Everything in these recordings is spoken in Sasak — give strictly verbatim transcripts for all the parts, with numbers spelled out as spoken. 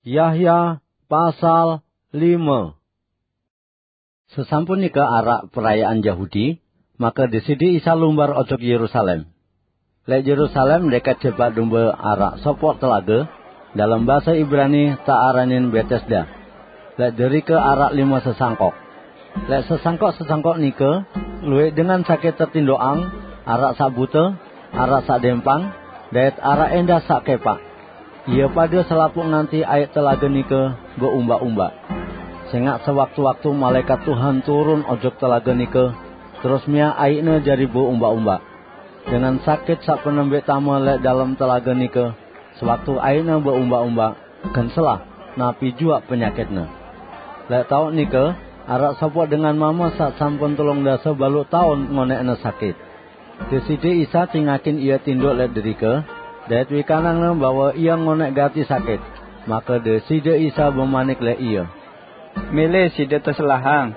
Yahya pasal lima. Sesampun nika arak perayaan Yahudi, maka Deside Isa lumbar ojok Yerusalem. Lek Yerusalem deket jebak dumba arak sopok telaga, dalam basa Ibrani tak aranin Betesda. Lek derika arak lima sesangkok. Lek sesangkok-sesangkok nika, luwek dengan sakit tetindokang, arak sak buta, arak sak dempang, dait arak endah sak kepak. Ia pada selapuk nganti aik telaga nika beumbak-umbak. Sengak sewaktu-waktu malaikat Tuhan turun ojok telaga nika, terus miak aikne jari beumbak-umbak. Dengan sakit sak penembek tama lek dalam telaga nika, sewaktu aikne beumbak-umbak, gen selah, napi juak penyakitne. Lek tauk nika, arak sopok dengan mama sak sampun telung dasa baluh taun ngonekne sakit. Deside Isa cingakin ia tinduk lek derika, dait wikanangne bahwa ia ngonek gati sakit. Maka Deside Isa bemanik lek ia, "Mele side teselahang."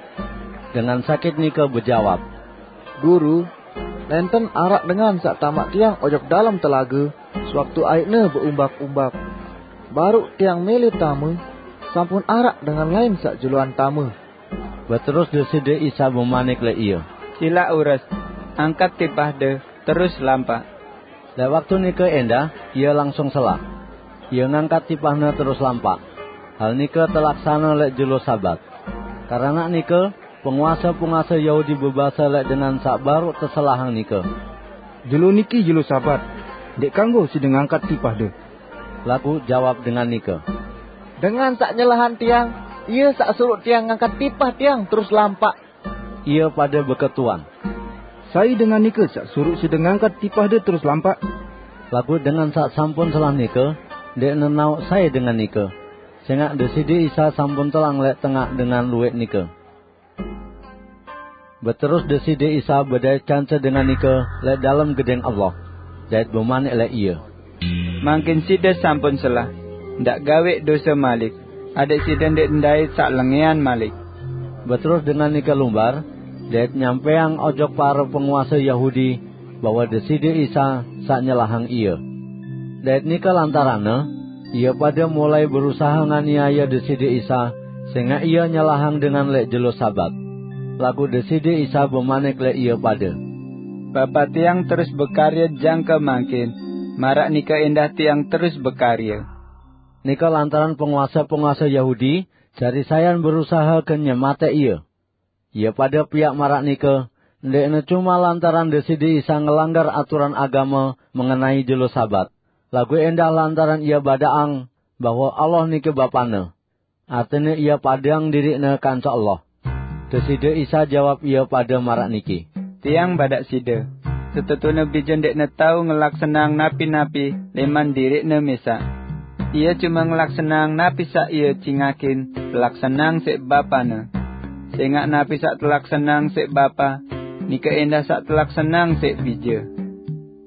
Dengan sakit nika bejawab, "Guru, nenten arak dengan sak tamak tiang ojok dalam telaga, sewaktu aikne beumbak-umbak. Baruk tiang mele tama, sampun arak dengan lain sak juluan tama." Beterus Deside Isa bemanik lek ia, "Silak ures, angkat tipahde, terus lampak." Lek waktu nika endah, ia langsung selah. Ia ngangkat tipahne terus lampak. Hal nika telaksana lek jelo Sabat. Karana nika, penguasa-penguasa Yahudi bebasa lek dengan sak baruk teselahang nika, "Jelo niki jelo Sabat, dek kanggo side ngangkat tipahde." Laku jawab dengan nika, "Dengan sak nyelahang tiang, ia sak suruh tiang ngangkat tipah tiang terus lampak." Ia pada beketuan, "Sai dengan nika sak suruh side ngangkat tipahde terus lampak?" Laku dengan sak sampun selah nika, dek nenauk sai dengan nika. Sengak Deside Isa sampun telang lek tengah dengan luwek nika. Beterus Deside Isa bedait kance dengan nika lek dalam Gedeng Allah, dait bemanik lek ia, "Mangkin side sampun selah, ndak gawek dosa malik, adek side ndek ndait sak lengean malik." Beterus dengan nika lumbar, dait nyampeang ojok para penguasa Yahudi bahwa Deside Isa sak nyelahang ia. Dait nika lantaranne, ia pada mulai berusaha nganiaya Deside Isa, sengak ia nyelahang dengan lek jelo Sabat. Laku Deside Isa bemanik lek ia pada, "Bapa tiang terus bekarya jangka mangkin, marak nika endah tiang terus bekarya." Nika lantaran penguasa-penguasa Yahudi jari sayan berusaha ke nyematek ia. Ia pada piak marak nika, ndekne cuma lantaran Deside Isa ngelanggar aturan agama mengenai jelo Sabat, lagu endah lantaran ia badaang bahwa Allah niki Bapane. Artine ia padang dirikne kanca Allah. Deside Isa jawab ia pada marak niki, "Tiang badak side, setetune bija ndekne tau ngelaksanang napi-napi leman dirikne mesak. Ia cuma ngelaksanang napi sak ia cingakin telaksanang sek Bapane. Sengak napi sak telaksanang sek Bapa, nika endah sak telaksanang sek bija.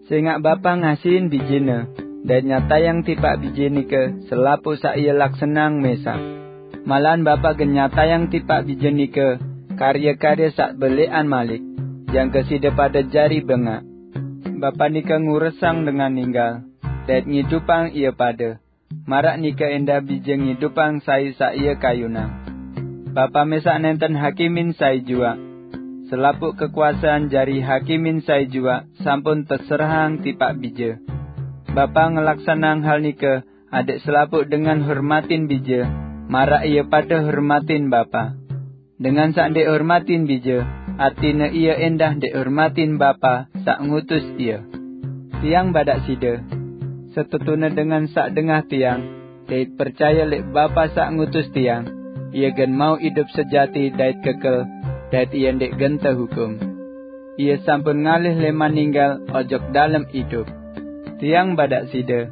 Sengak Bapa ngasihin bijene, dait nyatayang tipak bije nika selapuq sak ia laksanang mesak. Malahan Bapa gen nyatayang tipak bije nika karya-karya sak beleqan malik, jangke side pade jari bengaq. Bapa nika nguresang dengan ninggal, dait ngidupang ie pade. Maraq nike endah bije ngidupang sai saq ie kayunang. Bapa mesaq nenten hakimin sai juaq. Selapuq kekuasean jari hakimin sai juaq sampun teserahang tipaq bije. Bapa ngelaksanang hal nike adeq selapuq dengan hormatin bije, maraq ie pade hormatin Bapa. Dengan saq ndeq hormatin bije, artine ie endah ndeq hormatin Bapa saq ngutus ie. Tiang badaq side, setetune dengan saq dengah tiang, dait percaye leq Bapa saq ngutus tiang, ie gen mauq idup sejati dait kekel, dait ie ndeq gen tehukum. Ie sampun ngalih leman ninggal ojok dalem idup. Tiang badaq side,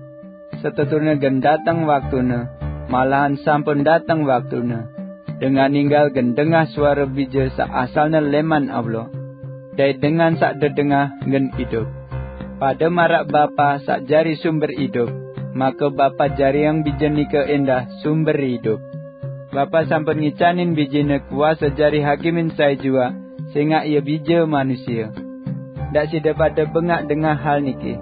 setetune gen dateng waktune, malahan sampun dateng waktune, dengan ninggal gen dengah suare bije saq asalne leman Allah, dait dengan saq dedengah gen idup. Pade maraq Bapa saq jari sumber idup, make Bapa jariang bije nike endah sumber idup. Bapa sampun ngicanin bijene kuase jari hakimin sai juaq, sengaq ie bije manusie. Ndaq side pade bengaq dengah hal niki,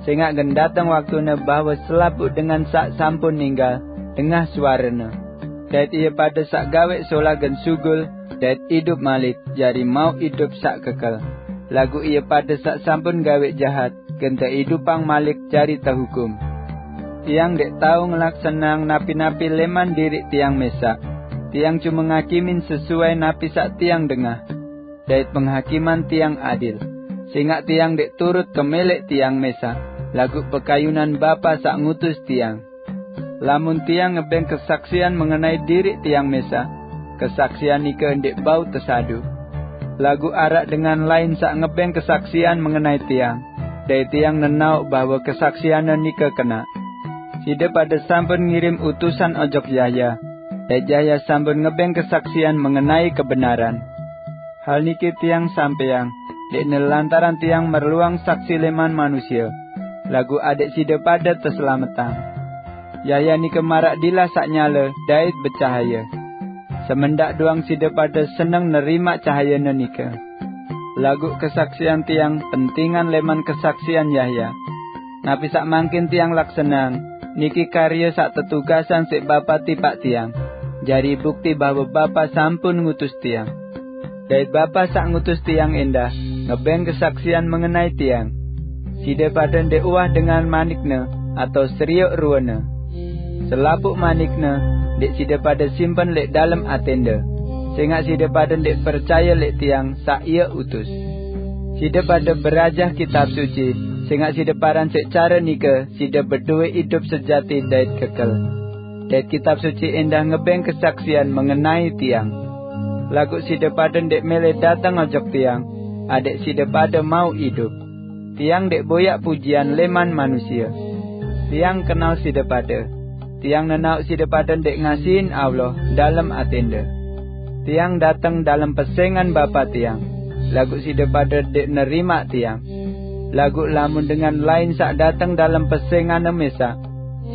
sengaq gen dateng waktune bahwe selapuq dengan saq sampun ninggal, dengah suarane. Dait ie pade saq gaweq solah gen sugul dait idup malik, jari mauq idup saq kekel. Laguq ie pade saq sampun gaweq jahat, gen teidupang malik jari tehukum. Tiang ndeq tao ngelaksaneang napi-napi leman diriq tiang mesaq. Tiang cume ngakimin sesuai napi saq tiang dengah, dait penghakiman tiang adil. Sengaq tiang ndeq turut kemeleq tiang mesaq, laguq pekayunan Bapa saq ngutus tiang. Lamun tiang ngebeng kesaksian mengenai diriq tiang mesaq, kesaksian nike ndeq bau tesadu. Laguq araq dengan lain saq ngebeng kesaksian mengenai tiang, dait tiang nenaoq bahwe kesaksianne nike kenaq. Side pade sampun ngirim utusan ojok Yahya, dait Yahya sampun ngebeng kesaksian mengenai kebenaran. Hal niki tiang sampeang, ndeqne lantaran tiang merluang saksi leman manusie, laguq adeq side pade teselametang. Yahya nike maraq dilah saq nyale dait becahaye. Semendaq doang side pade seneng nerimaq cahayene nike. Laguq kesaksian tiang pentingan leman kesaksian Yahya. Napi saq mangkin tiang laksaneang, niki karye saq tetugasang siq Bapa tipaq tiang, jari bukti bahwe Bapa sampun ngutus tiang. Dait Bapa saq ngutus tiang endah ngebeng kesaksian mengenai tiang. Side pade ndeq uwah dengan manikne atao serioq ruene. Selapuq manikne ndeq side pade simpen leq dalem atende, sengaq side pade ndeq percaye leq tiang saq ie utus. Side pade berajah Kitab Suci, sengaq side paran siq care nike side bedowe idup sejati dait kekel. Dait Kitab Suci endah ngebeng kesaksian mengenai tiang. Laguq side pade ndeq mele dateng ojok tiang, adeq side pade mauq idup. Tiang ndeq boyaq pujian leman manusie. Tiang kenal side pade. Tiang nenaoq side pade ndeq ngasihin Allah dalem atende. Tiang dateng dalem pesengan Bapa tiang, laguq side pade ndeq nerimaq tiang. Laguq lamun dengan lain saq dateng dalem pesenganne mesaq,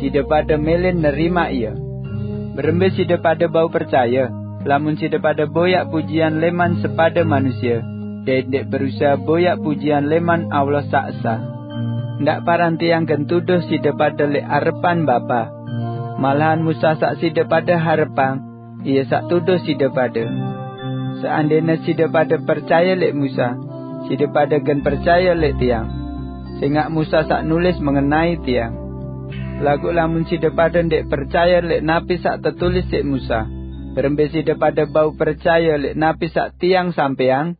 side pade mele nerimaq ie. Berembe side pade bau percaye, lamun side pade boyaq pujian leman sepade manusie, dait ndeq berusahe boyaq pujian leman Allah saq esa? Ndaq paran tiang gen tuduh side pade leq arepan Bapa. Malahan Musa saq side pade harepang, ie saq tuduh side pade. Seandene side pade percaye leq Musa, side pade gen percaye leq tiang, sengaq Musa saq nulis mengenai tiang. Laguq lamun side pade ndeq percaye leq napi saq tetulis siq Musa, berembe side pade bau percaye leq napi saq tiang sampeang?